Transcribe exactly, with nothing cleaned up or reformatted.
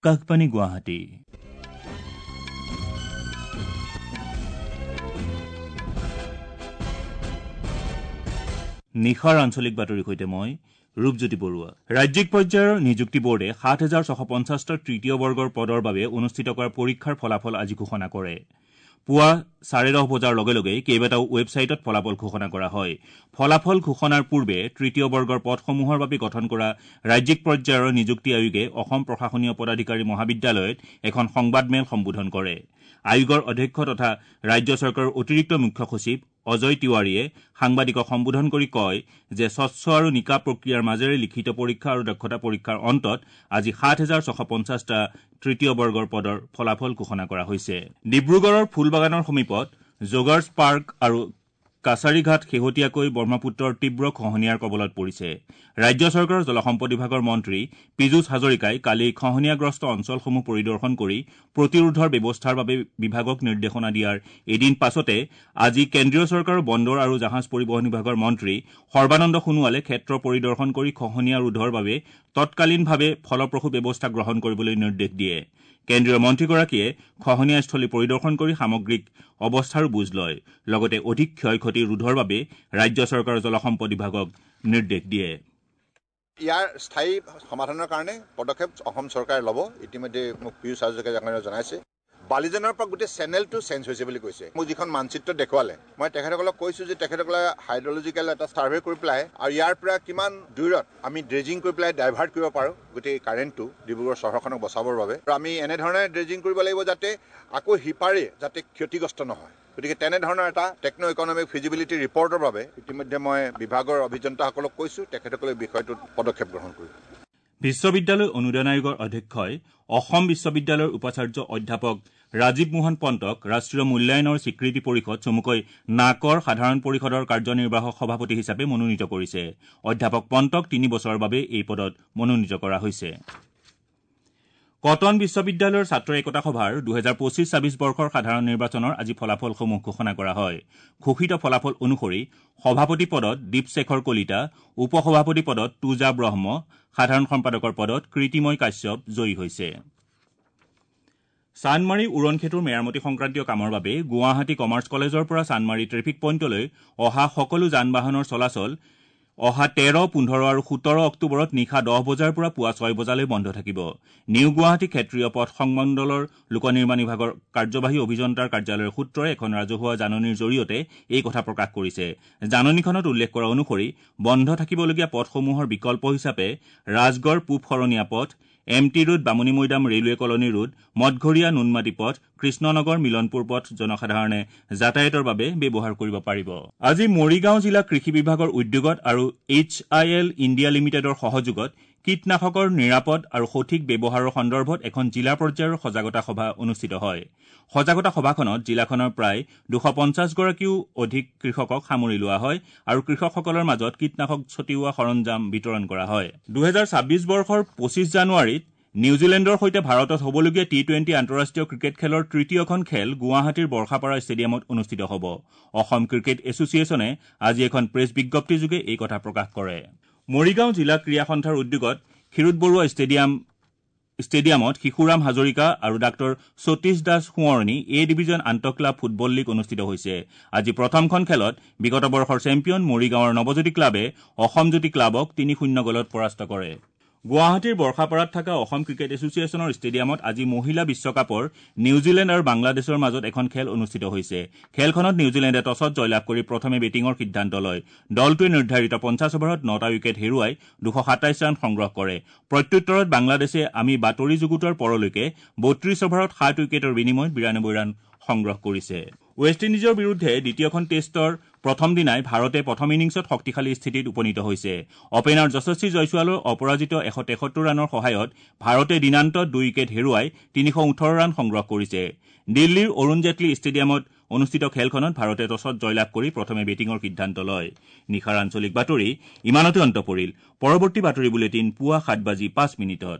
আকাশবাণী গুৱাহাটী। নিশাৰ আঞ্চলিক বাতৰিৰ সৈতে মই ৰূপজ্যোতি বৰুৱা। ৰাজ্যিক পৰ্যায়ৰ নিযুক্তি বোৰ্ডে সাত হেজাৰ ছশ পঞ্চাছটা তৃতীয় বৰ্গৰ পদৰ বাবে অনুষ্ঠিত কৰা পৰীক্ষাৰ ফলাফল আজি ঘোষণা কৰে। পুৱা চাৰে দহ বজাৰ লগে লগে কেইবাটাও ৱেবছাইটত ফলাফল ঘোষণা কৰা হয়। ফলাফল ঘোষণাৰ পূৰ্বে তৃতীয় বৰ্গৰ পদসমূহৰ বাবে গঠন কৰা ৰাজ্যিক পৰ্যায়ৰ নিযুক্তি আয়োগে অসম প্ৰশাসনীয় পদাধিকাৰী মহাবিদ্যালয়ত এখন সংবাদমেল সম্বোধন কৰে। আয়োগৰ অধ্যক্ষ তথা ৰাজ্য চৰকাৰৰ অতিৰিক্ত মুখ্য সচিব অজয় তিৱাৰীয়ে সাংবাদিকক সম্বোধন কৰি কয় যে স্বচ্ছ আৰু নিকা প্ৰক্ৰিয়াৰ মাজেৰে লিখিত পৰীক্ষা আৰু দক্ষতা পৰীক্ষাৰ অন্তত আজি সাত হেজাৰ ছশ পঞ্চাছটা তৃতীয় বৰ্গৰ পদৰ ফলাফল ঘোষণা কৰা হৈছে। ডিব্ৰুগড়ৰ ফুলবাগানৰ সমীপত জোগাৰ্ছ পাৰ্ক আৰু কাছাৰীঘাট শেহতীয়াকৈ ব্ৰহ্মপুত্ৰৰ তীব্ৰ খহনীয়াৰ কবলত পৰিছে। ৰাজ্য চৰকাৰৰ জলসম্পদ বিভাগৰ মন্ত্ৰী পীযুষ হাজৰিকাই কালি খহনীয়াগ্ৰস্ত অঞ্চলসমূহ পৰিদৰ্শন কৰি প্ৰতিৰোধৰ ব্যৱস্থাৰ বাবে বিভাগক নিৰ্দেশনা দিয়াৰ এদিন পাছতে আজি কেন্দ্ৰীয় চৰকাৰৰ বন্দৰ আৰু জাহাজ পৰিবহণ বিভাগৰ মন্ত্ৰী সৰ্বানন্দ সোণোৱালে ক্ষেত্ৰ পৰিদৰ্শন কৰি খহনীয়া ৰোধৰ বাবে তৎকালীনভাৱে ফলপ্ৰসূ ব্যৱস্থা গ্ৰহণ কৰিবলৈ নিৰ্দেশ দিয়ে। কেন্দ্ৰীয় মন্ত্ৰীগৰাকীয়ে খহনীয়াস্থলী পৰিদৰ্শন কৰি সামগ্ৰিক অৱস্থাৰো বুজ লয়, লগতে অধিক ক্ষয়-ক্ষতি ৰোধৰ বাবে ৰাজ্য চৰকাৰৰ জলসম্পদ বিভাগক নিৰ্দেশ দিয়ে। ইয়াৰ স্থায়ী সমাধানৰ কাৰণে পদক্ষেপ অসম চৰকাৰে ল'ব। ইতিমধ্যে মোক পীয়ুষ হাজৰিকা ডাঙৰীয়াই জনাইছে। বালিজনৰ পৰা গোটেই চেনেলটো চেঞ্জ হৈছে বুলি কৈছে। মোক যিখন মানচিত্ৰ দেখুৱালে, মই তেখেতসকলক কৈছোঁ যে তেখেতসকলে হাইড্ৰলজিকেল এটা ছাৰ্ভে কৰি পেলাই আৰু ইয়াৰ পৰা কিমান দূৰত আমি ড্ৰেজিং কৰি পেলাই ডাইভাৰ্ট কৰিব পাৰোঁ গোটেই কাৰেণ্টটো ডিব্ৰুগড় চহৰখনক বচাবৰ বাবে। আৰু আমি এনেধৰণে ড্ৰেজিং কৰিব লাগিব যাতে আকৌ সিপাৰে যাতে ক্ষতিগ্ৰস্ত নহয়। গতিকে তেনেধৰণৰ এটা টেকন' ইকনমিক ফিজিবিলিটি ৰিপৰ্টৰ বাবে ইতিমধ্যে মই বিভাগৰ অভিযন্তাসকলক কৈছোঁ, তেখেতসকলে বিষয়টোত পদক্ষেপ গ্ৰহণ কৰিব। বিশ্ববিদ্যালয় অনুদান আয়োগৰ অধ্যক্ষই অসম বিশ্ববিদ্যালয়ৰ উপাচাৰ্য অধ্যাপক ৰাজীৱ মোহন পন্তক ৰাষ্ট্ৰীয় মূল্যায়নৰ স্বীকৃতি পৰিষদ চমুকৈ নাকৰ সাধাৰণ পৰিষদৰ কাৰ্যনিৰ্বাহক সভাপতি হিচাপে মনোনীত কৰিছে। অধ্যাপক পন্তক তিনি বছৰৰ বাবে এই পদত মনোনীত কৰা হৈছে। কটন বিশ্ববিদ্যালয়ৰ ছাত্ৰ একতা সভাৰ দুহেজাৰ পঁচিছ ছাব্বিছ বৰ্ষৰ সাধাৰণ নিৰ্বাচনৰ আজি ফলাফলসমূহ ঘোষণা কৰা হয়। ঘোষিত ফলাফল অনুসৰি সভাপতি পদত দীপশেখৰ কলিতা, উপ সভাপতি পদত তুজা ব্ৰহ্ম, সাধাৰণ সম্পাদকৰ পদত কীৰ্তিময় কাশ্যপ জয়ী হৈছে। চানমাৰী উৰণ সেতুৰ মেৰামতি সংক্ৰান্তীয় কামৰ বাবে গুৱাহাটী কমাৰ্চ কলেজৰ পৰা চানমাৰী ট্ৰেফিক পইণ্টলৈ অহা সকলো যান বাহনৰ চলাচল অহা তেৰ, পোন্ধৰ আৰু সোতৰ অক্টোবৰত নিশা দহ বজাৰ পৰা পুৱা ছয় বজালৈ বন্ধ থাকিব। নিউ গুৱাহাটী ক্ষেত্ৰীয় পথ সংমণ্ডলৰ লোক নিৰ্মাণ বিভাগৰ কাৰ্যবাহী অভিযন্তাৰ কাৰ্যালয়ৰ সূত্ৰই এখন ৰাজহুৱা জাননীৰ জৰিয়তে এই কথা প্ৰকাশ কৰিছে। জাননীখনত উল্লেখ কৰা অনুসৰি বন্ধ থাকিবলগীয়া পথসমূহৰ বিকল্প হিচাপে ৰাজগড় পূব শৰণীয়া পথ, M T road, Bamunimaidam railway colony road, Mathghoria Noonmati পথ, কৃষ্ণনগৰ মিলনপুৰ পথ জনসাধাৰণে যাতায়াতৰ বাবে ব্যৱহাৰ কৰিব পাৰিব। আজি মৰিগাঁও জিলা কৃষি বিভাগৰ উদ্যোগত আৰু এইচ I L India লিমিটেডৰ সহযোগত কীটনাশকৰ নিৰাপদ আৰু সঠিক ব্যৱহাৰৰ সন্দৰ্ভত এখন জিলা পৰ্যায়ৰ সজাগতা সভা অনুষ্ঠিত হয়। সজাগতা সভাখনত জিলাখনৰ প্ৰায় দুশ পঞ্চাছগৰাকীও অধিক কৃষকক সামৰি লোৱা হয় আৰু কৃষকসকলৰ মাজত কীটনাশক ছটিওৱা সৰঞ্জাম বিতৰণ কৰা হয়। দুহেজাৰ ছাব্বিছ বৰ্ষৰ পঁচিছ জানুৱাৰীত নিউজিলেণ্ডৰ সৈতে ভাৰতত হ'বলগীয়া টি টুৱেণ্টি আন্তঃৰাষ্ট্ৰীয় ক্ৰিকেট খেলৰ তৃতীয়খন খেল গুৱাহাটীৰ বৰ্ষাপাৰা ষ্টেডিয়ামত অনুষ্ঠিত হ'ব। অসম ক্ৰিকেট এছ'চিয়েশ্যনে আজি এখন প্ৰেছ বিজ্ঞপ্তিযোগে এই কথা প্ৰকাশ কৰে। মৰিগাঁও জিলা ক্ৰীড়া সন্থাৰ উদ্যোগত ক্ষীৰোদ বৰুৱা ষ্টেডিয়াম ষ্টেডিয়ামত শিশুৰাম হাজৰিকা আৰু ডাঃ সতীশ দাস সোঁৱৰণী এ ডিভিজন আন্তঃক্লাব ফুটবল লীগ অনুষ্ঠিত হৈছে। আজি প্ৰথমখন খেলত বিগত বৰ্ষৰ চেম্পিয়ন মৰিগাঁৱৰ নৱজ্যোতি ক্লাবে অসম জ্যোতি ক্লাবক তিনি শূন্য গ'লত পৰাস্ত কৰে। গুৱাহাটীৰ বৰ্ষাপাৰাত থকা অসম ক্ৰিকেট এছ'চিয়েশ্যনৰ ষ্টেডিয়ামত আজি মহিলা বিশ্বকাপৰ নিউজিলেণ্ড আৰু বাংলাদেশৰ মাজত এখন খেল অনুষ্ঠিত হৈছে। খেলখনত নিউজিলেণ্ডে টছত জয়লাভ কৰি প্ৰথমে বেটিঙৰ সিদ্ধান্ত লয়। দলটোৱে নিৰ্ধাৰিত পঞ্চাছ অভাৰত নটা উইকেট হেৰুৱাই দুশ সাতাইছ ৰান সংগ্ৰহ কৰে। প্ৰত্যুত্তৰত বাংলাদেশে আমি বাতৰি যুগুতোৱাৰ পৰলৈকে বত্ৰিছ অভাৰত সাত উইকেটৰ বিনিময়ত বিৰানব্বৈ ৰান সংগ্ৰহ কৰিছে। ৱেষ্ট ইণ্ডিজৰ বিৰুদ্ধে দ্বিতীয়খন টেষ্টৰ প্ৰথম দিনাই ভাৰতে প্ৰথম ইনিংছত শক্তিশালী স্থিতিত উপনীত হৈছে। অপেনাৰ যশস্বী জয়ছোৱালৰ অপৰাজিত এশ তেসত্তৰ ৰানৰ সহায়ত ভাৰতে দিনান্তত দুই উইকেট হেৰুৱাই তিনিশ ওঠৰ ৰান সংগ্ৰহ কৰিছে। দিল্লীৰ অৰুণ জেটলী ষ্টেডিয়ামত অনুষ্ঠিত খেলখনত ভাৰতে টছত জয়লাভ কৰি প্ৰথমে বেটিঙৰ সিদ্ধান্ত লয়। নিশাৰ আঞ্চলিক বাতৰি ইমানতে অন্ত পৰিল। পৰৱৰ্তী বাতৰি বুলেটিন পুৱা সাত বাজি পাঁচ মিনিটত।